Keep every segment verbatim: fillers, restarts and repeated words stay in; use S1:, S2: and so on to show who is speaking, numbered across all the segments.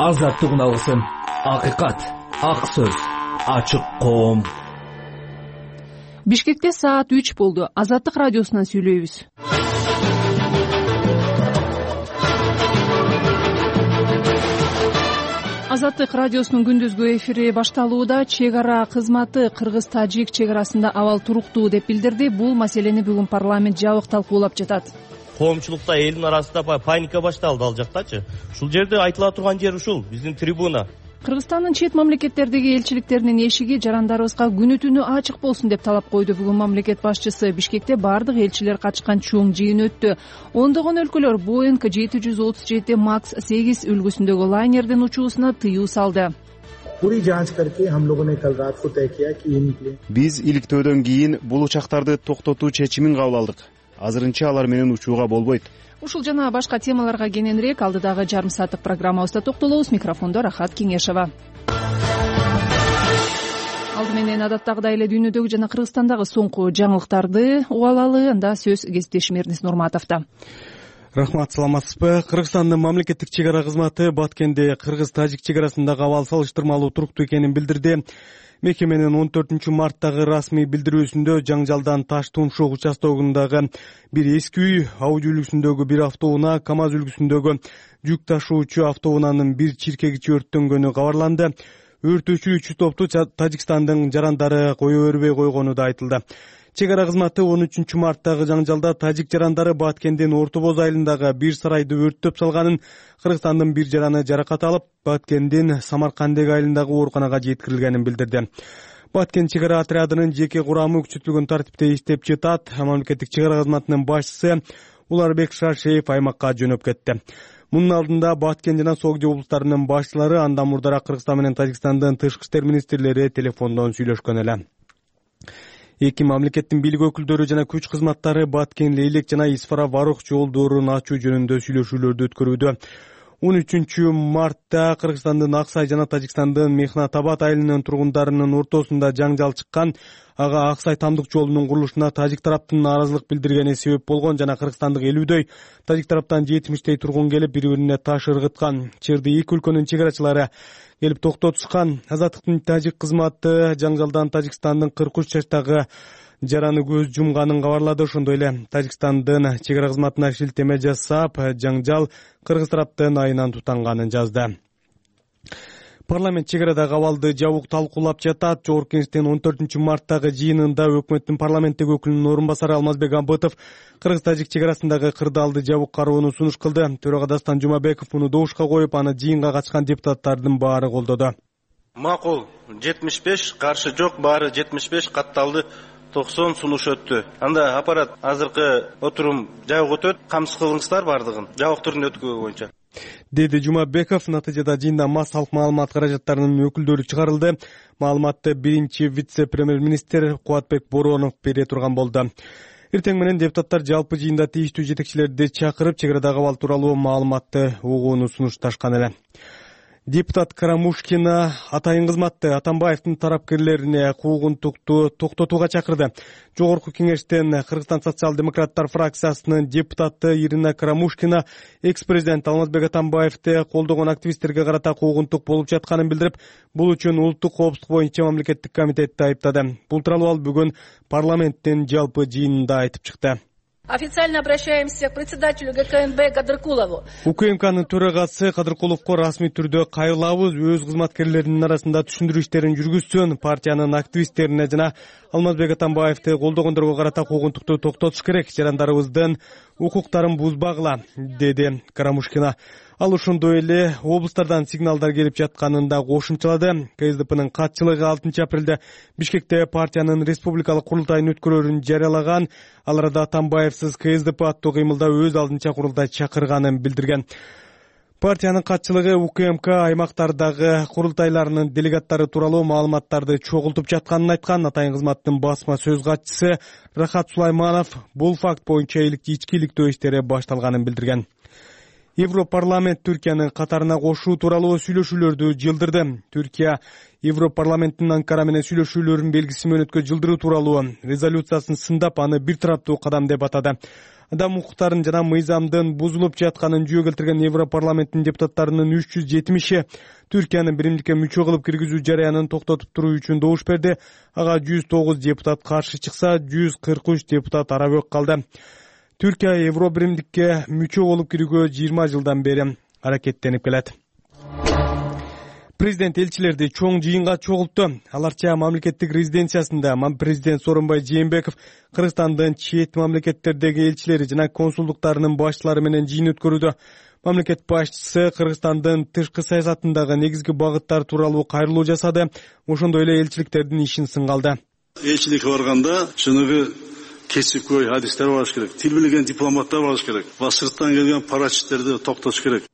S1: азаттык үналысын, акыйкат, ак сөз, ачык коом.
S2: Бишкекте саат үч болду. Азаттык радиосунан сүйлөйбүз. Азаттык радиосунун күндүзгү эфири башталууда. Чек ара кызматы кыргыз-тажик чек арасында абал туруктуу деп билдирди. Бул маселени бүгүн парламент жабык талкуулап жатат.
S3: Коомчулукта элдин арасында паника башталды ал жактачы. Ушул жерде айтыла турган жер ушул, биздин трибуна.
S2: Кыргызстандын чет мамлекеттердеги элчиликтеринин эшиги жарандарыбызга күнү түнү ачык болсун деп талап койду. Бүгүн мамлекет башчысы Бишкекте бардык элчилер катышкан чоң жыйын өттү. Ондогон өлкөлөр Боинг жети жүз отуз жети макс сегиз үлгүсүндөгү лайнердин учуусуна тыюу салды.
S4: Биз иликтөөдөн кийин бул учактарды токтотуу чечимин кабыл алдык. Азырынча алар менен учууга болбойт.
S2: Ушул жана башка темаларга кененирээк алдыдагы жарым сааттык программабызда токтолобуз. Микрофондо Рахат Кеңешова. Алды менен адаттагыдай эле дүйнөдөгү жана Кыргызстандагы соңку жаңылыктарды угуп алалы. Анда сөз кесиптешим Эрнис Нурматовдо.
S5: Рахмат, саламатсызбы? Кыргызстандын мамлекеттик чек ара кызматы Баткенде кыргыз-тажик чек арасындагы абал салыштырмалуу туруктуу экенин билдирди. Мекеменин он төртүнчү марттагы расмий билдирүүсүндө жаңжалдан Таш Тумшук участогундагы бир эски үй, Ауди үлгүсүндөгү бир автоунаа, КамАЗ үлгүсүндөгү жүк ташуучу автоунаанын бир чиркегичи өрттөнгөнү кабарланды. Өрт өчүрүүчү топту Тажикстандын жарандары кое бербей койгону да айтылды. Чек ара кызматы он үчүнчү марттагы жаңжалда тажик жарандары Баткендин Орто Боз айылындагы бир сарайды өрттөп салганын, Кыргызстандын бир жараны жаракат алып, Баткендин Самаркандек айылындагы ооруканага жеткирилгенин билдирди. Баткен чек ара отрядынын жеке курамы күчөтүлгөн тартипте иштеп жатат. Мамлекеттик чек ара кызматынын башчысы Уларбек Шаршеев аймакка жөнөп кетти. Мунун алдында Баткен жана Согди облустарынын башчылары андан мурдараак Кыргызстан менен Тажикстандын тышкы иштер министрлери телефондон сүйлөшкөн эле. Эки мамлекеттин бийлик өкүлдөрү жана күч кызматтары Баткен Лейлек жана Исфара Варух жолдорун ачуу жөнүндө сүйлөшүүлөрдү өткөрүүдө. он үчүнчү мартта Кыргызстандын Аксай жана Тажикстандын Мехнатабад айылынын тургундарынын ортосунда жаңжал чыккан. Ага Аксай тамдык жолунун курулушуна тажик тараптын нааразылык билдиргени себеп болгон жана кыргызстандык элүүдөй, тажик тараптан жетимиштей тургун келип бири-бирине таш ыргыткан. Чырды эки өлкөнүн чек арачылары келип токтотушкан. Азаттыктын тажик кызматы жаңжалдан Тажикстандын кырк үч жаштагы жараны көз жумганын кабарлады. Ошондой эле Тажикстандын чек ара кызматына шилтеме жасап, жаңжал кыргыз тараптын айынан тутанганын жазды. Парламент чек арадагы абалды жабык талкуулап жатат. Жогорку Кеңештин он төртүнчү марттагы жыйынында өкмөттүн парламенттеги өкүлүнүн орун басары Алмазбек Абытов кыргыз-тажик чек арасындагы кырдаалды жабык кароону сунуш кылды. Төрага Дастан Жумабеков муну добушка коюп, аны жыйынга катышкан депутаттардын баары колдоду.
S6: Макул жетимиш беш, каршы жок, баары жетимиш беш, катталды токсон сунуш өттү. Анда аппарат азыркы отурум жабык өтөт, камсыз кылыңыздар бардыгын жабык түрүндө өткөгө боюнча,
S5: деди Жумабеков. Натыйжада жыйында массалык маалымат каражаттарынын өкүлдөрү чыгарылды. Маалыматты биринчи вице-премьер-министр Кубатбек Боронов бере турган болду. Эртең менен депутаттар жалпы жыйында тийиштүү жетекчилерди чакырып, чек арадагы абал тууралуу маалыматты угууну сунушташкан эле. Депутат Карамушкина атайын кызматты Атамбаевдин тарапкерлерине куугунтукту токтотууга чакырды. Жогорку Кеңештен Кыргызстан социал-демократтар фракциясынын депутаты Ирина Карамушкина экс-президент Алмазбек Атамбаевди колдогон активисттерге карата куугунтук болуп жатканын билдирип, бул үчүн улуттук коопсуздук боюнча мамлекеттик комитетти айыптады. Бул тууралуу ал бүгүн парламенттин жалпы жыйынында айтып чыкты.
S7: Официально обращаемся к председателю ГКНБ Кадыркулову.
S5: УКМКнын төрагасы Кадыркуловго расмий түрдө кайрылабыз, өз кызматкерлеринин арасында түшүндүрүү иштерин жүргүзсүн, партиянын активисттерине жана Алмазбек Атамбаевди колдогондорго карата куугунтукту токтотуш керек, жарандарыбыздын укуктарын бузбагыла, деди Карамушкина. Ал ошондой эле облустардан сигналдар келип жатканын да кошумчалады. КСДПнын катчылыгы алтынчы апрелде Бишкекте партиянын республикалык курултайын өткөрөрүн жарыялаган. Ал арада Атамбаевсиз КСДП аттуу кыймылда өз алдынча курултай чакырганын билдирген. Партиянын катчылыгы УКМК аймактардагы курултайларынын делегаттары тууралуу маалыматтарды чогултуп жатканын айткан. Атайын кызматтын басма сөз катчысы Рахат Сулайманов бул факт боюнча ички иликтөө иштери башталганын билдирген. Европарламент Түркияны катарына кошуу тууралуу сүйлөшүүлөрдү жылдырды. Түркия Европарламенттин Анкара менен сүйлөшүүлөрүн белгисиз мөөнөткө жылдыруу тууралуу резолюциясын сындап, аны бир тараптуу кадам деп атады. Адам укуктарын жана мыйзамдын бузулуп жатканын жүйө келтирген Европарламенттин депутаттарынын үч жүз жетимиши Түркияны биримдикке мүчө кылып киргизүү жарыянын токтотуп туруу үчүн добуш берди. Ага жүз тогуз депутат каршы чыкса, жүз кырк үч депутат арабөк калды. Түркия Евро биримдикке мүчө болуп кирүүгө жыйырма жылдан бери аракеттенип келет. Президент элчилерди чоң жыйынга чогултту. Аларча мамлекеттик резиденциясында президент Сооронбай Жээнбеков Кыргызстандын чет мамлекеттердеги элчилери жана консулдуктарынын башчылары менен жыйын өткөрүүдө. Мамлекет башчысы Кыргызстандын тышкы саясатындагы негизги багыттар тууралуу кайрылуу жасады. Ошондой эле элчиликтердин ишин сынга алды.
S8: Элчиликке барганда чыныгы кесипкөй адистер болуш керек, тил билген дипломаттар болуш керек, сырттан келген парачиттерди токтотуш керек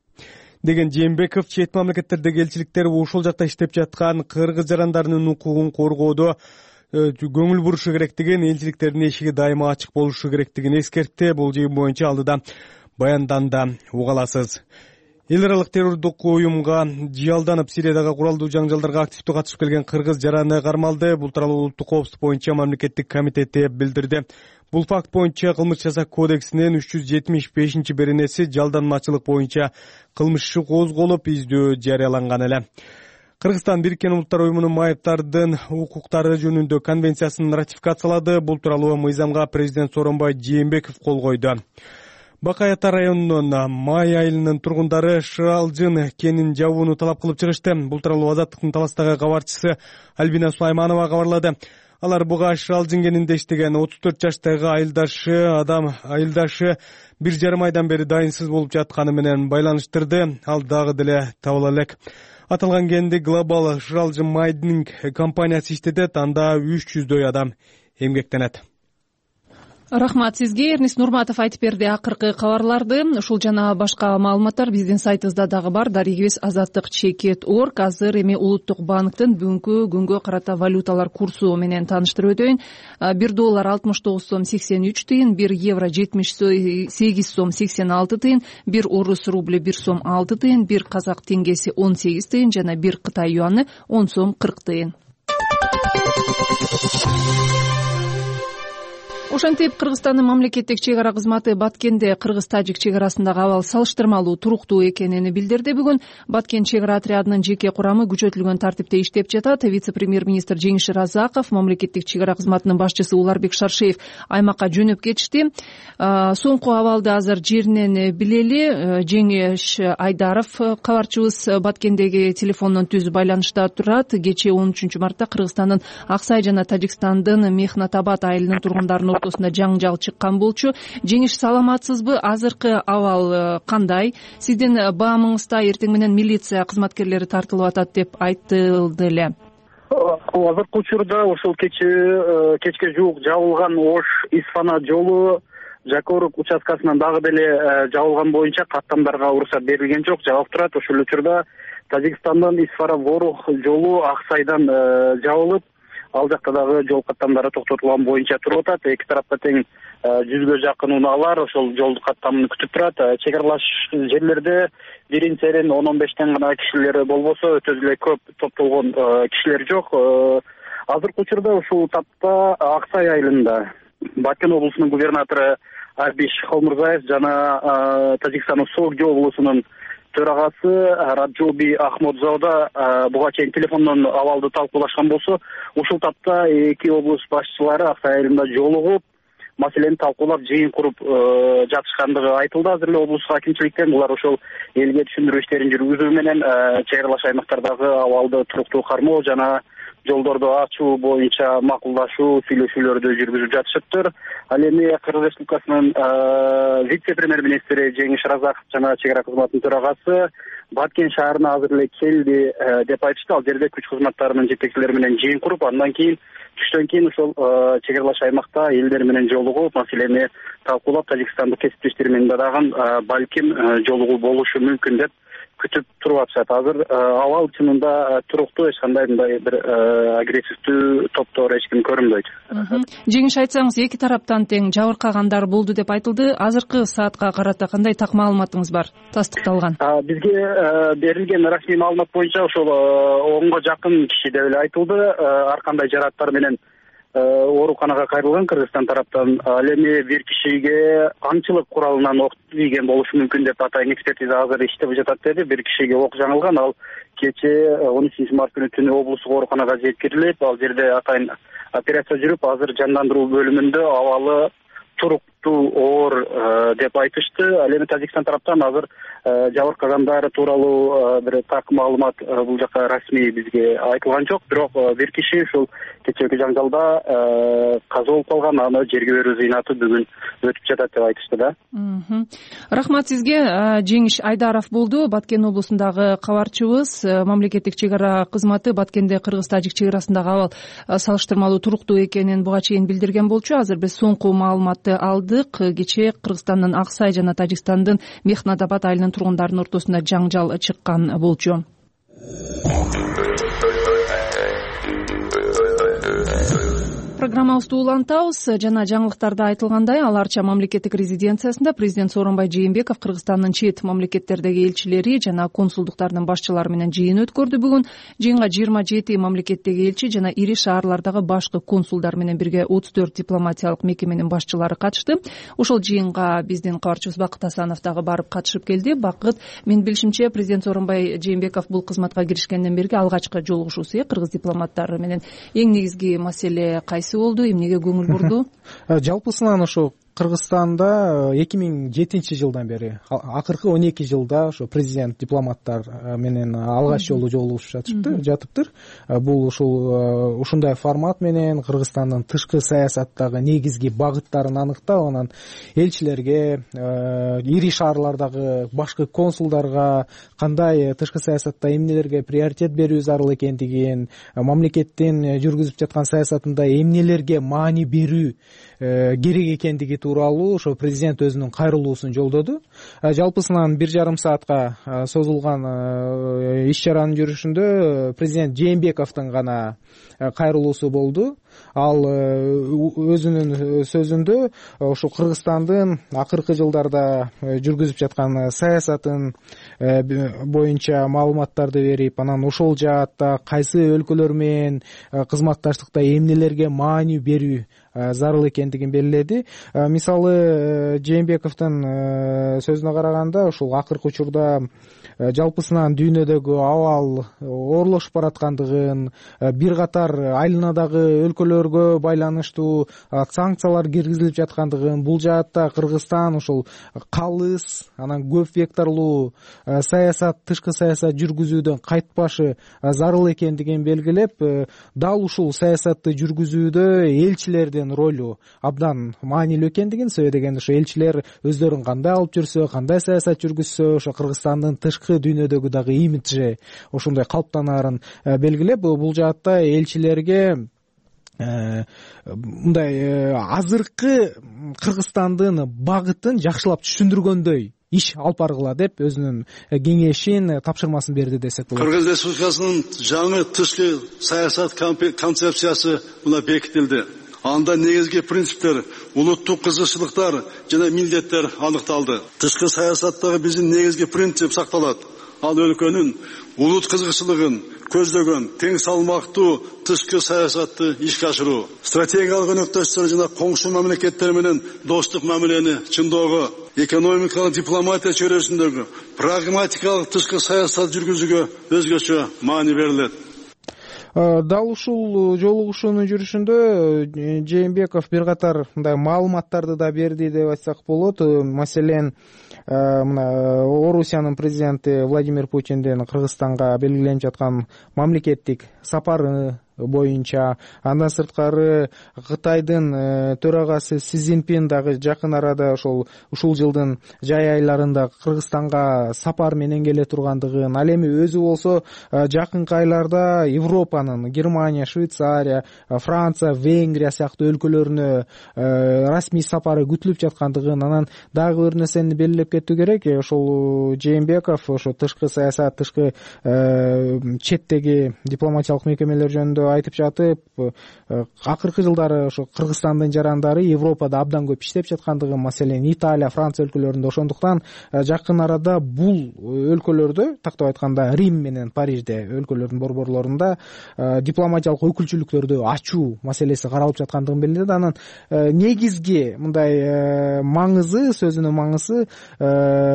S5: деген Жээнбеков чет мамлекеттердеги элчиликтер ушул жакта иштеп жаткан кыргыз жарандарынын укугун коргоодо көңүл бурушу керектигин, элчиликтердин эшиги дайыма ачык болушу керектигин эскертти. Бул жыйын боюнча алдыда баянданда уга аласыз. Эл аралык террордук уюмга жыялданып Сириядагы куралдуу жаңжалдарга активдүү катышып келген кыргыз жараны кармалды. Бул тууралуу улуттук коопсуздук боюнча мамлекеттик комитети билдирди. Бул факт боюнча кылмыш жаза кодексинин үч жүз жетимиш бешинчи беренеси жалданмачылык боюнча кылмыш иши козголуп, издөө жарыяланган эле. Кыргызстан Бириккен Улуттар уюмунун майыптардын укуктары жөнүндө конвенциясын ратификациялады. Бул тууралуу мыйзамга президент Сооронбай Жээнбеков кол койду. Бакай Ата районунун май айылынын тургундары Шыралжын кенин жабууну талап кылып чыгышты. Бул тууралуу Азаттыктын Таластагы кабарчысы Альбина Сулайманова кабарлады. Алар буга Шыралжын кенинде иштеген отуз төрт жаштагы айылдашы адам айылдашы бир жарым айдан бери дайынсыз болуп жатканы менен байланыштырды. Ал дагы деле табыла элек. Аталган кенди Глобал Шыралжын майдинг компаниясы иштетет. Анда үч жүздөй адам эмгектенет.
S2: Рахмат сизге. Эрнис Нурматов айтып берди акыркы кабарларды. Ушул жана башка маалыматтар биздин сайтыбызда дагы бар. Дарегибиз азаттык чекит точка орг. Азыр эми Улуттук банктын бүгүнкү күнгө карата валюталар курсу менен тааныштырып өтөйүн. бир доллар алтымыш тогуз сом сексен үч тыйын, бир евро жетимиш сегиз сом сексен алты тыйын, бир орус рубль бир сом алты тыйын, бир казак теңгеси он сегиз тыйын жана бир Кытай юаны он сом кырк тыйын. Ошентип Кыргызстандын мамлекеттик чек ара кызматы Баткенде кыргыз-тажик чек арасындагы абал салыштырмалуу туруктуу экенин билдирди. Бүгүн Баткен чек ара отрядынын жеке курамы күчөтүлгөн тартипте иштеп жатат. Вице-премьер-министр Жеңиш Разаков, мамлекеттик чек ара кызматынын башчысы Уларбек Шаршеев аймакка жөнөп кетишти. Соңку абалды азыр жеринен билели. Жеңиш Айдаров кабарчыбыз Баткендеги телефондон түз байланышта турат. Кечээ он үчүнчү мартта Кыргызстандын Аксай жана Тажикстандын Мехнатабад айылынын тургундарынын ортосунда жаңжал чыккан болчу. Жеңиш, саламатсызбы? Азыркы абал кандай? Сиздин баамыңызда эртең менен милиция кызматкерлери тартылып атат деп айтылды эле.
S9: Азыркы учурда ошол кече кечке жуук жабылган Ош Исфана жолу Жакорук участкасынан дагы деле жабылган боюнча каттамдарга уруксат берилген жок, жабык турат. Ошол учурда Тажикстандын Исфара Ворух жолу Аксайдан жабылып, ал жакта дагы жол каттамдары токтотулган боюнча туруп атат. Эки тарапта тең жүзгө жакын унаалар ошол жол каттамын күтүп турат. Чек аралаш жерлерде бирин серин он он бештен гана кишилер болбосо өтө эле көп топтолгон кишилер жок. Азыркы учурда ушул тапта Аксай айылында Баткен облусунун губернатору Арбиш Холмурзаев жана Тажикстандын Согди облусунун төрагасы Раджоби Ахмодзода буга чейин телефондон абалды талкуулашкан болсо, ушул тапта эки облус башчылары Аксай айылында жолугуп, маселени талкуулап, жыйын куруп жатышкандыгы айтылды. Азыр эле облус акимчиликтен булар ошол элге түшүндүрүү иштерин жүргүзүү менен чек аралаш аймактардагы абалды туруктуу кармоо жана жолдорду ачуу боюнча макулдашуу сүйлөшүүлөрдү жүргүзүп жатышыптыр. Ал эми Кыргыз Республикасынын вице-премьер-министри Жеңиш Разаков жана чек ара кызматынын төрагасы Баткен шаарына азыр эле келди деп айтышты. Ал жерде күч кызматтарынын жетекчилери менен жыйын куруп, андан кийин түштөн кийин ошол чек аралаш аймакта элдер менен жолугуп, маселени талкуулап, Тажикстандык кесиптештери менен дагы балким жолугуу болушу мүмкүн деп күтүп туруп атышат. Азыр абал чынында туруктуу, эч кандай мындай бир агрессивдүү топтор эч ким көрүнбөйт.
S2: Жеңиш айтсаңыз, эки тараптан тең жабыркагандар болду деп айтылды. Азыркы саатка карата кандай так маалыматыңыз бар, тастыкталган?
S9: Бизге берилген расмий маалымат боюнча ошол онго жакын киши деп эле айтылды. Ар кандай жарааттар менен ооруканага кайрылган Кыргызстан тараптан. Ал эми бир кишиге аңчылык куралынан ок тийген болушу мүмкүн деп атайын экспертиза азыр иштеп жатат деди. Бир кишиге ок жаңылган. Ал кече он үчүнчү март күнү түнү облустук ооруканага жеткирилип, ал жерде атайын операция жүрүп, азыр жандандыруу бөлүмүндө абалы туруктуу, оор деп айтышты. Ал эми Тажикстан тараптан азыр жабыркагандар тууралуу бир так маалымат бул жака расмий бизге айтылган жок. Бирок бир киши ушул кечээки жаңжалда каза болуп калган, аны жерге берүү зыйнаты бүгүн өтүп жатат деп айтышты да.
S2: Рахмат сизге. Жеңиш Айдаров болду, Баткен облусундагы кабарчыбыз. Мамлекеттик чек ара кызматы Баткенде кыргыз-тажик чек арасындагы абал салыштырмалуу туруктуу экенин буга чейин билдирген болчу. Азыр биз соңку маалыматты алдык. Кечээ Кыргызстандын Ак Сай жана Тажикстандын Мехнат-Абад айылынын тургундарынын ортосунда жаңжал чыккан болчу. Программабызды улантабыз. Жана жаңылыктарда айтылгандай, Ала Арча мамлекеттик резиденциясында президент Сооронбай Жээнбеков Кыргызстандын чет мамлекеттердеги элчилери жана консулдуктардын башчылары менен жыйын өткөрдү. Бүгүн жыйынга жыйырма жети мамлекеттеги элчи жана ири шаарлардагы башкы консулдар менен бирге отуз төрт дипломатиялык мекеменин башчылары катышты. Ошол жыйынга биздин кабарчыбыз Бакыт Асанов дагы барып катышып келди. Бакыт, менин билишимче, президент Сооронбай Жээнбеков бул кызматка киришкенден берги алгачкы жолугушуусу кыргыз дипломаттары менен. Эң негизги маселе кайсы болду, эмнеге көңүл бурду?
S10: Жалпысынан ошо Кыргызстанда эки миң жетинчи жылдан бери, акыркы он эки жылда ошо президент дипломаттар менен алгач жолу жолугушуп жатышты, жатыптыр. Бул ушул ушундай формат менен Кыргызстандын тышкы саясаттагы негизги багыттарын аныктап, анан элчилерге, ири шаарлардагы башкы консулдарга кандай тышкы саясатта эмнелерге приоритет берүү зарыл экендигин, мамлекеттин жүргүзүп жаткан саясатында эмнелерге маани берүү керек экендиги тууралуу ошо президент өзүнүн кайрылуусун жолдоду. Жалпысынан бир жарым саатка созулган иш чаранын жүрүшүндө президент Жээнбековдун гана кайрылуусу болду. Ал өзүнүн сөзүндө ошо Кыргызстандын акыркы жылдарда жүргүзүп жаткан саясатын боюнча маалыматтарды берип, анан ошол жаатта кайсы өлкөлөр менен кызматташтыкта эмнелерге маани берүү зарыл экендигин белгиледи. Мисалы, Жээнбековдун сөзүнө караганда, ушул акыркы учурда жалпысынан дүйнөдөгү абал оорлошуп бараткандыгын, бир катар айланадагы өлкөлөргө байланыштуу санкциялар киргизилип жаткандыгын, бул жаатта Кыргызстан ушул калыс, анан көп векторлуу саясат, тышкы саясат жүргүзүүдөн кайтпашы зарыл экендигин белгилеп, дал ушул саясатты жүргүзүүдө элчилердин ролу абдан маанилүү экендигин, себеби дегенде ошо элчилер өздөрүн кандай алып жүрсө, кандай саясат жүргүзсө, ошо Кыргызстандын тышкы дүйнөдөгү дагы имиджи ошондой калыптанаарын белгилеп, бул жаатта элчилерге мындай азыркы Кыргызстандын багытын жакшылап түшүндүргөндөй иш алып баргыла деп өзүнүн кеңешин, тапшырмасын берди десек болот.
S8: Кыргыз Республикасынын жаңы тышкы саясат концепциясы мына бекитилди. Анда негизги принциптер, улуттук кызыкчылыктар жана милдеттер аныкталды. Тышкы саясаттагы биздин негизги принцип сакталат. Ал өлкөнүн улут кызыкчылыгын көздөгөн тең салмактуу тышкы саясатты ишке ашыруу, стратегиялык өнөктөштөр жана коңшу мамлекеттер менен достук мамилени чындоого, экономикалык дипломатия чөйрөсүндөгү прагматикалык тышкы саясат жүргүзүүгө өзгөчө маани берилет.
S10: Дал ушул жолугушуунун жүрүшүндө Жээнбеков бир катар мындай маалыматтарды да берди деп айтсак болот. Маселен, мына Орусиянын президенти Владимир Путиндин Кыргызстанга белгиленип жаткан мамлекеттик сапары боюнча. Андан сырткары Кытайдын төрагасы Си Цзиньпин дагы жакын арада ошол ушул жылдын жай айларында Кыргызстанга сапар менен келе тургандыгын, ал эми өзү болсо жакынкы айларда Европанын Германия, Швейцария, Франция, Венгрия сыяктуу өлкөлөрүнө расмий сапары күтүлүп жаткандыгын, анан дагы бир нерсени белгилеп кетүү керек. Ошол Жээнбеков ошо тышкы саясат, тышкы четтеги дипломатиялык мекемелер жөнүндө айтып жатып, акыркы жылдары ошо Кыргызстандын жарандары Европада абдан көп иштеп жаткандыгын, маселен Италия, Франция өлкөлөрүндө, ошондуктан жакын арада бул өлкөлөрдө, тактап айтканда Рим менен Парижде өлкөлөрдүн борборлорунда дипломатиялык өкүлчүлүктөрдү ачуу маселеси каралып жаткандыгын белгиледи. Анан негизги мындай маңызы, сөзүнүн маңызы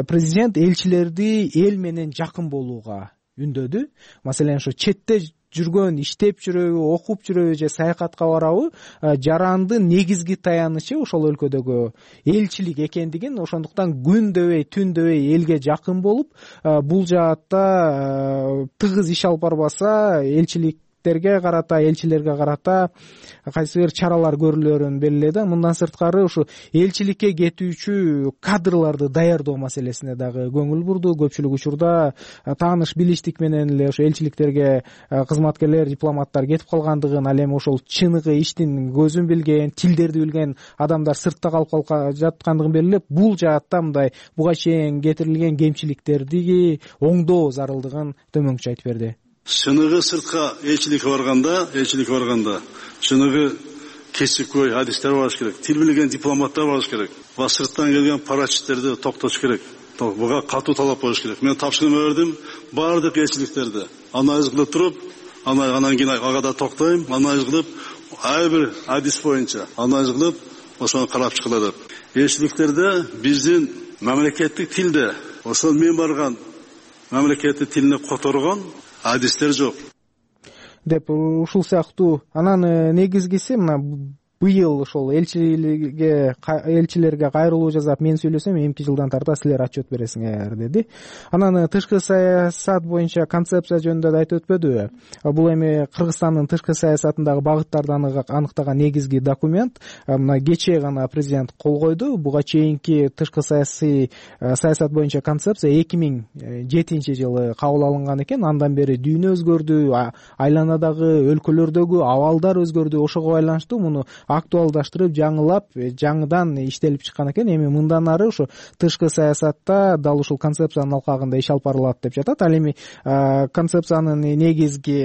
S10: президент элчилерди эл менен жакын болууга үндөдү. Маселен ошо четте жүргөн, иштеп жүрөбү, окуп жүрөбү же саякатка барабы, жарандын негизги таянычы ошол өлкөдөгү элчилик экендигин, ошондуктан күндөбөй, түндөбөй элге жакын болуп, бул жаатта тыгыз иш алып барбаса элчилик карата, элчилерге карата кайсы бир чаралар көрүлөрүн белгиледи. Мындан сырткары ушу элчиликке кетүүчү кадрларды даярдоо маселесине дагы көңүл бурду. Көпчүлүк учурда тааныш билиштик менен эле ошо элчиликтерге кызматкерлер, дипломаттар кетип калгандыгын, ал эми ошол чыныгы иштин көзүн билген, тилдерди билген адамдар сыртта калып жаткандыгын белгилеп, бул жаатта мындай буга чейин кетирилген кемчиликтерди оңдоо зарылдыгын төмөнкүчө айтып берди.
S8: Чыныгы сыртка элчиликке барганда, элчиликке барганда чыныгы кесипкөй адистер болуш керек, тил билген дипломаттар болуш керек. Ва сырттан келген парачиттерди токтотуш керек. Буга катуу талап коюш керек. Мен тапшырма бердим баардык элчиликтерди. Анализ кылып туруп, анан кийин ага да токтойм, анализ кылып, ар бир адис боюнча анализ кылып, ошону карап чыгыла деп. Элчиликтерде биздин мамлекеттик тилде, ошол мен барган мамлекеттик тилине которгон адистер жок
S10: деп ушул сыяктуу. Анан негизгиси мына быйыл ошол элчилерге элчилерге кайрылуу жасап мен сүйлөсөм, эмки жылдан тарта силер отчет бересиңер деди. Анан тышкы саясат боюнча концепция жөнүндө да айтып өтпөдүбү? Бул эми Кыргызстандын тышкы саясатындагы багыттарды аныктаган негизги документ. Мына кечээ гана президент кол койду. Буга чейинки тышкы саясий саясат боюнча концепция эки миң жетинчи жылы кабыл алынган экен. Андан бери дүйнө өзгөрдү, айланадагы өлкөлөрдөгү абалдар өзгөрдү. Ошого байланыштуу муну актуалдаштырып, жаңылап, жаңыдан иштелип чыккан экен. Эми мындан ары ушу тышкы саясатта дал ушул концепциянын алкагында иш алып барылат деп жатат. Ал эми концепциянын негизги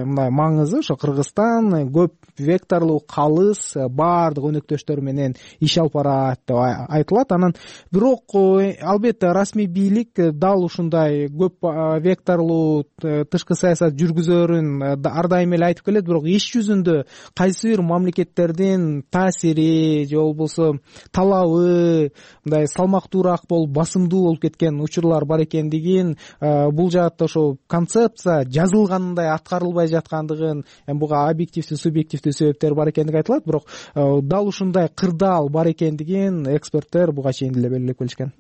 S10: мындай маңызы ошо Кыргызстан көп векторлуу, калыс, баардык өнөктөштөр менен иш алып барат деп айтылат. Анан бирок албетте расмий бийлик дал ушундай көп векторлуу тышкы саясат жүргүзөрүн ар дайым эле айтып келет, бирок иш жүзүндө кайсы бир мамлекеттердин таасири же болбосо талабы мындай салмактуураак болуп, басымдуу болуп кеткен учурлар бар экендигин, бул жаатта ошо концепция жазылгандай аткарылбай жаткандыгын, эми буга объективдүү, субъективдүү себептер бар экендиги айтылат, бирок дал ушундай кырдаал бар экендигин эксперттер буга чейин деле белгилеп келишкен.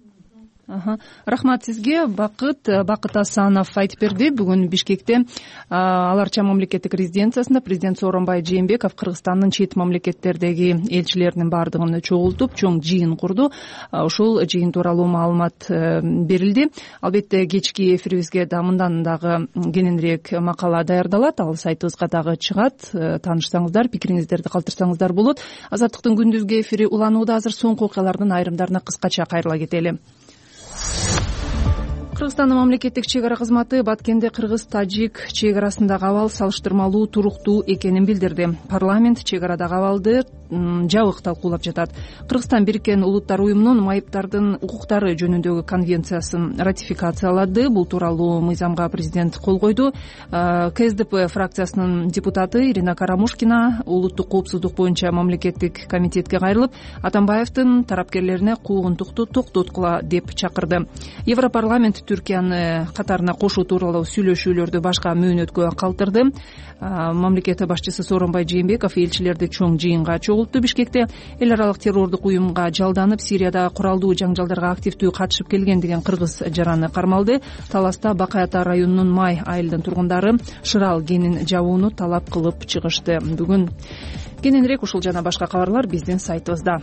S2: Рахмат сизге. Бакыт Бакыт Асанов айтып берди. Бүгүн Бишкекте Ал Арча мамлекеттик резиденциясында президент Сооронбай Жээнбеков Кыргызстандын чет мамлекеттердеги элчилеринин баардыгын чогултуп, чоң жыйын курду. Ушул жыйын тууралуу маалымат берилди. Албетте кечки эфирибизге да мындан дагы кененирээк макала даярдалат. Ал сайтыбызга дагы чыгат. Таанышсаңыздар, пикириңиздерди калтырсаңыздар болот. Азаттыктын күндүзгү эфири уланууда. Азыр соңку окуялардын айрымдарына кыскача кайрыла кетели. Кыргызстандын мамлекеттик чек ара кызматы Баткенде кыргыз-тажик чек арасындагы абал салыштырмалуу туруктуу экенин билдирди. Парламент чек арадагы абалды жабык талкуулап жатат. Кыргызстан Бириккен Улуттар уюмунун майыптардын укуктары жөнүндөгү конвенциясын ратификациялады. Бул тууралуу мыйзамга президент кол койду. КСДП фракциясынын депутаты Ирина Карамушкина улуттук коопсуздук боюнча мамлекеттик комитетке кайрылып, Атамбаевдин тарапкерлерине куугунтукту токтоткула деп чакырды. Европарламент Түркияны катарына кошуу тууралуу сүйлөшүүлөрдү башка мөөнөткө калтырды. Мамлекет башчысы Сооронбай Жээнбеков элчилерди чоң жыйынга чогултту. Бишкекте эл аралык террордук уюмга жалданып, Сириядагы куралдуу жаңжалдарга активдүү катышып келген деген кыргыз жараны кармалды. Таласта Бакай Ата районунун Май айылдын тургундары шырал кенин жабууну талап кылып чыгышты. Бүгүн кененирээк ушул жана башка кабарлар биздин сайтыбызда.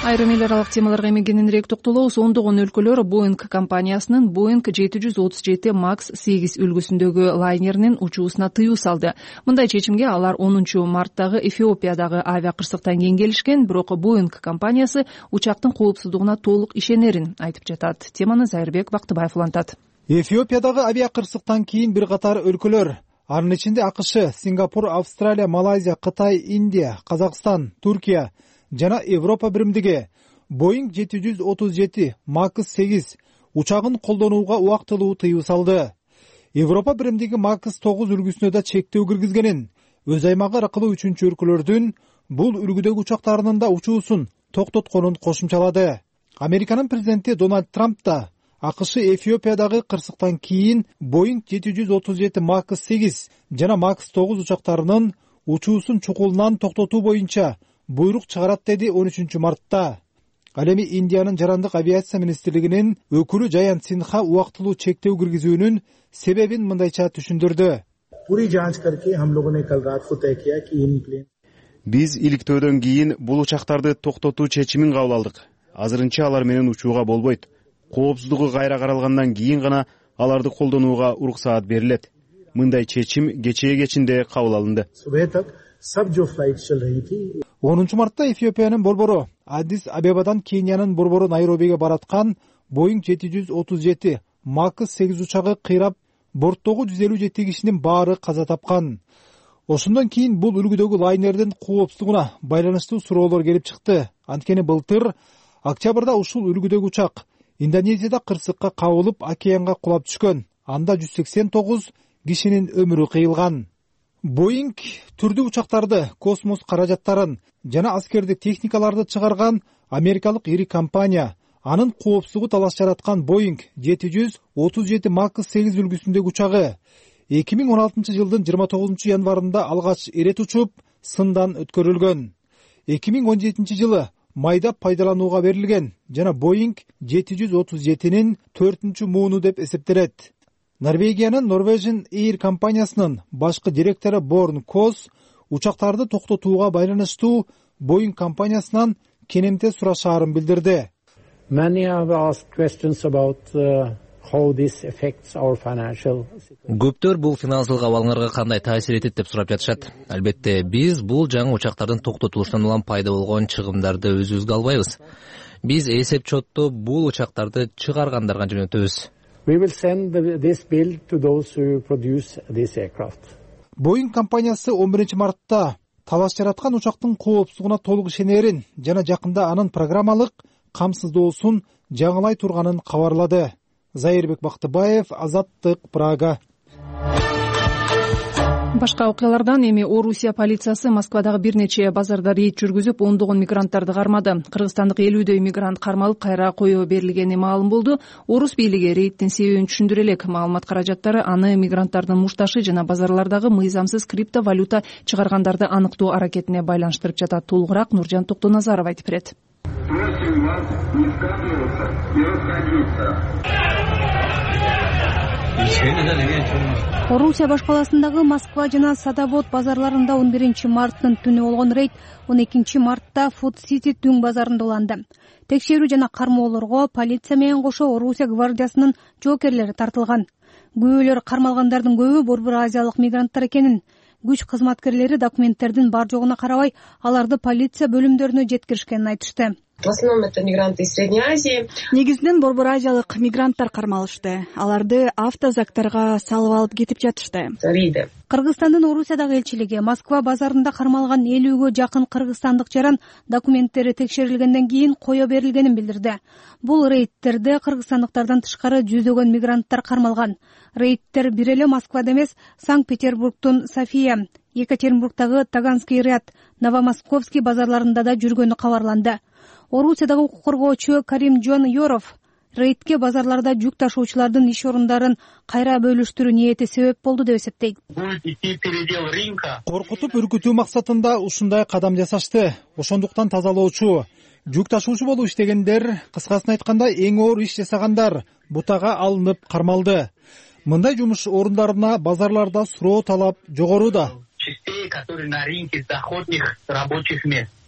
S2: Айрым эл аралык темаларга эми кененирээк токтолобуз. Ондогон өлкөлөр Боинг компаниясынын Боинг жети жүз отуз жети макс сегиз үлгүсүндөгү лайнеринин учуусуна тыюу салды. Мындай чечимге алар онунчу марттагы Эфиопиядагы авиакырсыктан кийин келишкен, бирок Боинг компаниясы учактын коопсуздугуна толук ишенерин айтып жатат. Теманы Зайырбек Бактыбаев улантат.
S11: Эфиопиядагы авиакырсыктан кийин бир катар өлкөлөр, анын ичинде АКШ, Сингапур, Австралия, Малайзия, Кытай, Индия, Казакстан, Түркия жана Европа биримдиги Боинг жети жүз отуз жети макс сегиз учагын колдонууга убактылуу тыюу салды. Европа биримдиги макс тогуз үлгүсүнө да чектөө киргизгенин, өз аймагы аркылуу үчүнчү өлкөлөрдүн бул үлгүдөгү учактарынын да учуусун токтотконун кошумчалады. Американын президенти Дональд Трамп да АКШ Эфиопиядагы кырсыктан кийин Боинг жети жүз отуз жети макс сегиз жана макс тогуз учактарынын учуусун чукулунан токтотуу боюнча буйрук чыгарат деди он үчүнчү мартта. Ал эми Индиянын жарандык авиация министрлигинин өкүлү Жаянт Синха убактылуу чектөө киргизүүнүн себебин мындайча түшүндүрдү.
S4: Биз иликтөөдөн кийин бул учактарды токтотуу чечимин кабыл алдык. Азырынча алар менен учууга болбойт. Коопсуздугу кайра каралгандан кийин гана аларды колдонууга уруксаат берилет. Мындай чечим кечээ кечинде кабыл алынды.
S11: онунчу мартта Эфиопиянын борбору Аддис Абебадан Кениянын борбору Найробиге бараткан Боинг жети жүз отуз жети макс сегиз учагы кыйрап, борттогу жүз элүү жети кишинин баары каза тапкан. Ошондон кийин бул үлгүдөгү лайнердин коопсуздугуна байланыштуу суроолор келип чыкты. Анткени былтыр октябрда ушул үлгүдөгү учак Индонезияда кырсыкка кабылып, океанга кулап түшкөн. Анда жүз сексен тогуз кишинин өмүрү кыйылган. Боинг түрдүү учактарды, космос каражаттарын жана аскердик техникаларды чыгарган америкалык ири компания. Анын коопсуздугу талаш жараткан Боинг жети жүз отуз жети макс сегиз үлгүсүндөгү учагы эки миң он алтынчы жылдын жыйырма тогузунчу январында алгач ирет учуп, сындан өткөрүлгөн. эки миң он жетинчи жылы майда пайдаланууга берилген жана Боинг жети жүз отуз жетинин төртүнчү мууну деп эсептелет. Норвегиянын Norwegian Air компаниясынын башкы директору Борн Кос учактарды токтотууга байланыштуу Боинг компаниясынан кенемте сурашаарын билдирди.
S1: Көптөр бул финансылык абалыңарга кандай таасир этет деп сурап жатышат. Албетте, биз бул жаңы учактардын токтотулушунан улам пайда болгон чыгымдарды өзүбүзгө албайбыз. Биз эсеп-чотту бул учактарды чыгаргандарга жөнөтөбүз.
S11: Боинг компаниясы он биринчи мартта талаш жараткан учактын коопсуздугуна толук ишенерин жана жакында анын программалык камсыздоосун жаңылай турганын кабарлады. Зайырбек Бактыбаев, Азаттык, Прага.
S2: Башка окуялардан эми Орусия полициясы Москвадагы бир нече базарда рейд жүргүзүп, ондогон мигранттарды кармады. Кыргызстандык элүүдөй мигрант кармалып, кайра коюу берилгени маалым болду. Орус бийлиги рейдтин себебин түшүндүрө элек. Маалымат каражаттары аны мигранттардын мушташы жана базарлардагы мыйзамсыз криптовалюта чыгаргандарды аныктоо аракетине байланыштырып жатат. Толугураак Нуржан Токтоназаров айтып берет.
S12: Просим вас не скапливаться и расходиться.
S13: Орусия башкаласындагы Москва жана Садовод базарларында он биринчи марттын түнү болгон рейд он экинчи мартта Food City түң базарында уланды. Текшерүү жана кармоолорго полиция менен кошо Орусия гвардиясынын жоокерлери тартылган. Күбөлөр кармалгандардын көбү Борбор Азиялык мигранттар экенин, күч кызматкерлери документтердин бар жогуна карабай, аларды полиция бөлүмдөрүнө жеткиришкенин айтышты.
S14: В основном это мигранты из Средней Азии.
S15: Негизинен Борбор Азиялык мигранттар кармалышты. Аларды автозактарга салып алып кетип жатышты.
S13: Кыргызстандын Орусиядагы элчилиги Москва базарында кармалган элүүгө жакын кыргызстандык жаран документтери текшерилгенден кийин коё берилгенин билдирди. Бул рейдтерде кыргызстандыктардан тышкары жүздөгөн мигранттар кармалган. Рейдтер бир эле Москвада эмес, Санкт-Петербургтун София, Екатеринбургдагы Таганский ряд, Новомосковский базарларында да жүргөнү кабарланды. Орусиядагы укук коргоочу Каримжон Yorov рейдке базарларда жүк ташуучулардын иш орундарын кайра бөлүштүрүү ниети себеп болду деп эсептейт.
S11: Коркутуп үркүтүү максатында ушундай кадам жасашты. Ошондуктан тазалоочу, жүк ташуучу болуп иштегендер, кыскасын айтканда эң оор иш жасагандар бутага алынып кармалды. Мындай жумуш орундарына базарларда суроо талап жогору да.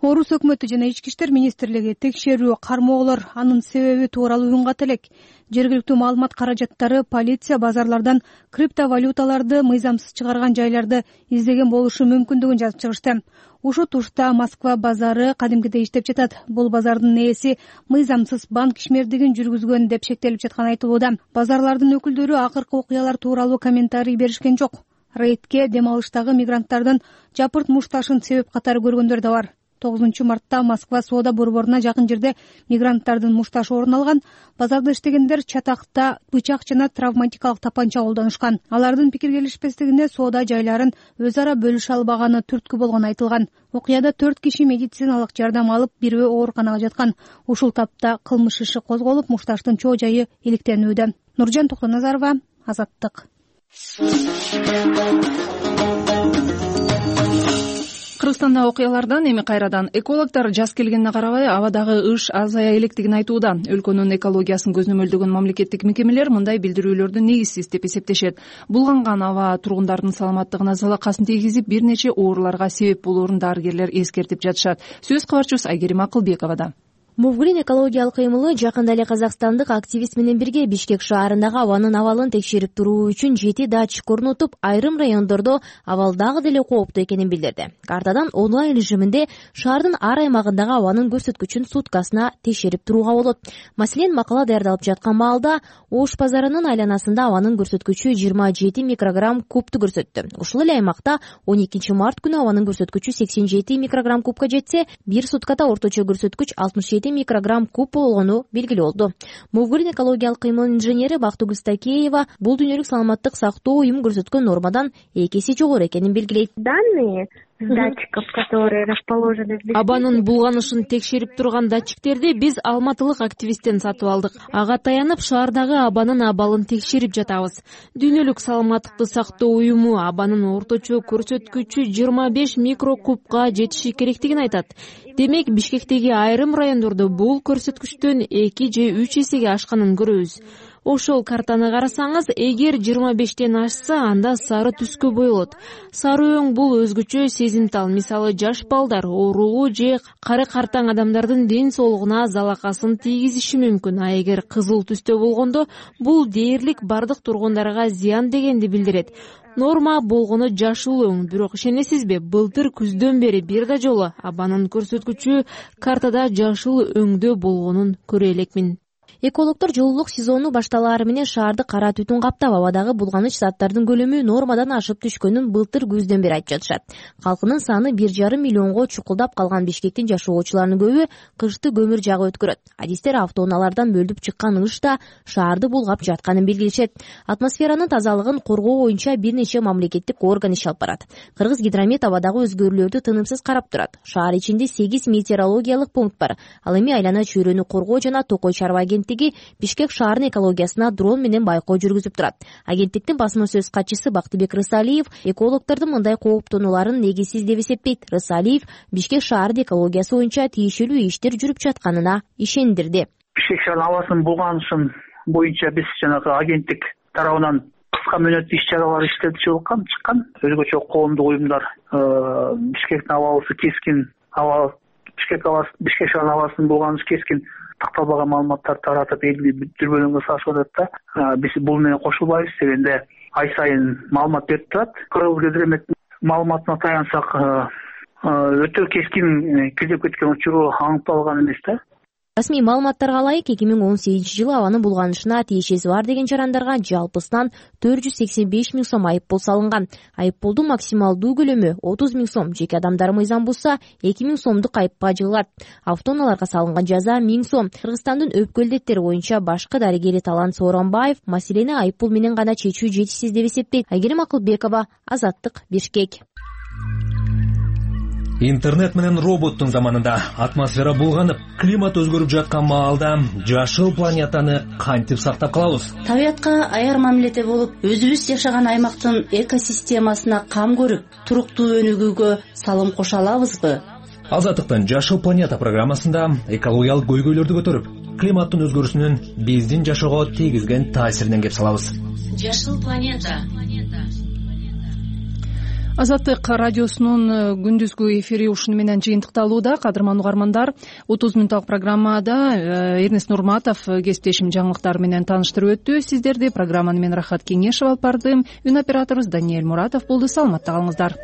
S13: Орус өкмөтү жана ички иштер министрлиги текшерүү кармоолор анын себеби тууралуу уйгат элек. Жергиликтүү маалымат каражаттары полиция базарлардан криптовалюталарды мыйзамсыз чыгарган жайларды издеген болушу мүмкүндүгүн жазып чыгышты. Ушул тушта Москва базары кадимкидей иштеп жатат. Бул базардын ээси мыйзамсыз банк ишмердигин жүргүзгөн деп шектелип жатканы айтылууда. Базарлардын өкүлдөрү акыркы окуялар тууралуу комментарий беришкен жок. Рейдке дем алыштагы мигранттардын жапырт мушташын себеп катары көргөндөр да бар. тогузунчу мартта Москва соода борборуна жакын жерде мигранттардын мушташы орун алган. Базарда иштегендер чатакта бычак жана травматикалык тапанча колдонушкан. Алардын пикир келишпестигине соода жайларын өз ара бөлүшө албаганы түрткү болгону айтылган. Окуяда төрт киши медициналык жардам алып, бирөө ооруканага жаткан. Ушул тапта кылмыш иши козголуп, мушташтын чоо жайы иликтенүүдө. Нуржан Токтоназарова, Азаттык.
S2: Кыргызстанда окуялардан эми кайрадан экологдор жаз келгенине карабай абадагы ыш азая электигин айтууда. Өлкөнүн экологиясын көзөмөлдөгөн мамлекеттик мекемелер мындай билдирүүлөрдү негизсиз деп эсептешет. Булганган аба тургундардын саламаттыгына залакасын тийгизип, бир нече ооруларга себеп болоорун дарыгерлер эскертип жатышат. Сөз кабарчыбыз Айгерим Акылбековада.
S16: Мувгрин экологиялык кыймылы жакында эле казакстандык активист менен бирге Бишкек шаарындагы абанын абалын текшерип туруу үчүн жети датчик орнотуп, айрым райондордо абал дагы деле кооптуу экенин билдирди. Картадан онлайн режиминде шаардын ар аймагындагы абанын көрсөткүчүн суткасына текшерип турууга болот. Маселен, макала даярдалып жаткан маалда Ош базарынын айланасында абанын көрсөткүчү жыйырма жети микрограмм кубту көрсөттү. Ушул эле аймакта он экинчи март күнү абанын көрсөткүчү сексен жети микрограмм кубка жетсе, бир суткада орточо көрсөткүч алтымыш жети микрограмм куб болгону белгилүү болду. Мувгрин экологиялык кыймылдын инженери Бактыгүл Стакеева бул дүйнөлүк саламаттык сактоо уюму көрсөткөн нормадан эки эсе жогору экенин белгилейт.
S17: Данные датчиков, которые расположены в
S18: абанын булганышын текшерип турган датчиктерди биз алматылык активисттен сатып алдык. Ага таянып шаардагы абанын абалын текшерип жатабыз. Дүйнөлүк саламаттыкты сактоо уюму абанын орточо көрсөткүчү жыйырма беш микрокубка жетиши керектигин айтат. Демек, Бишкектеги айрым райондордо бул көрсөткүчтөн эки же үч эсеге ашканын көрөбүз. Ошол картаны карасаңыз, эгер жыйырма бештен ашса, анда сары түскө боелот. Сары өң бул өзгөчө сезимтал. Мисалы, жаш балдар, оорулуу же кары картаң адамдардын ден соолугуна залакасын тийгизиши мүмкүн. А эгер кызыл түстө болгондо, бул дээрлик бардык тургундарга зыян дегенди билдирет. Норма болгону жашыл өң, бирок ишенесизби, былтыр күздөн бери бир да жолу абанын көрсөткүчү картада жашыл өңдө болгонун көрө элекмин.
S16: Экологдор жылуулук сезону башталаары менен шаарды кара түтүн каптап, абадагы булганыч заттардын көлөмү нормадан ашып түшкөнүн былтыр күздөн бери айтып жатышат. Калкынын саны бир жарым миллионго чукулдап калган Бишкектин жашоочуларынын көбү кышты көмүр жагып өткөрөт. Адистер автоунаалардан бөлүп чыккан ыш да шаарды булгап жатканын белгилешет. Атмосферанын тазалыгын коргоо боюнча бир нече мамлекеттик орган иш алып барат. Кыргыз гидромет абадагы өзгөрүүлөрдү тынымсыз карап турат. Шаар ичинде сегиз метеорологиялык пункт бар. Ал эми айлана чөйрөнү коргоо жана Токой чарба агенттиги Бишкек шаарынын экологиясына дрон менен байкоо жүргүзүп турат. Агенттиктин басма сөз катчысы Бактыбек Рысалиев экологдордун мындай кооптонууларын негизсиз деп эсептейт. Рысалиев Бишкек шаарынын экологиясы боюнча тийиштүү иштер жүрүп жатканына ишендирди.
S19: Бишкек шаарынын абасын булганышын боюнча биз жанагы агенттик тарабынан кыска мөөнөттүү иш чаралар иштелип чыккан, чыккан. Өзгөчө коомдук уюмдар Бишкектин абасы кескин, аба Бишкек абасы, Бишкек шаарынын абасынын булганышы кескин такталбаган маалыматтарды таратып элди дүрбөлөңгө салышып атат да. Биз бул менен кошулбайбыз дегенде ай сайын маалымат берип турат. Кыргыз гидрометтин маалыматына таянсак, өтө кескин кирдеп кеткен учуру аныкталган эмес да.
S16: Расмий маалыматтарга ылайык, эки миң он сегизинчи жылы абанын булганышына тиешеси бар деген жарандарга жалпысынан төрт жүз сексен беш миң сом айыппул салынган. Айыппулдун максималдуу көлөмү отуз миң сом, жеке адамдар мыйзам бузса эки миң сомдук айыпка жыгылат. Автоунааларга салынган жаза миң сом. Кыргызстандын өпкө илдеттери боюнча башкы дарыгери Талант Сооронбаев маселени айыппул менен гана чечүү жетишсиз деп эсептейт. Айгерим Акылбекова, Азаттык, Бишкек.
S20: Интернет менен роботтун заманында атмосфера булганып, климат өзгөрүп жаткан маалда жашыл планетаны кантип сактап калабыз?
S21: Табиятка аяр мамиледе болуп, өзүбүз жашаган аймактын экосистемасына кам көрүп, туруктуу өнүгүүгө салым кошо алабызбы?
S20: Азаттыктын Жашыл планета программасында экологиялык көйгөйлөрдү көтөрүп, климаттын өзгөрүүсүнүн биздин жашоого тийгизген таасиринен кеп салабыз.
S21: Жашыл планета.
S2: Азаттык радиосунун күндүзгү эфири ушуну менен жыйынтыкталууда. Кадырман угармандар, отуз мүнөттүк программада Эрнест Нурматов кесиптешим жаңылыктар менен тааныштырып өттү. Сиздерди программаны мен Рахат Кеңешева алып бардым. Үн операторубуз Даниэль Муратов болду. Саламатта калыңыздар.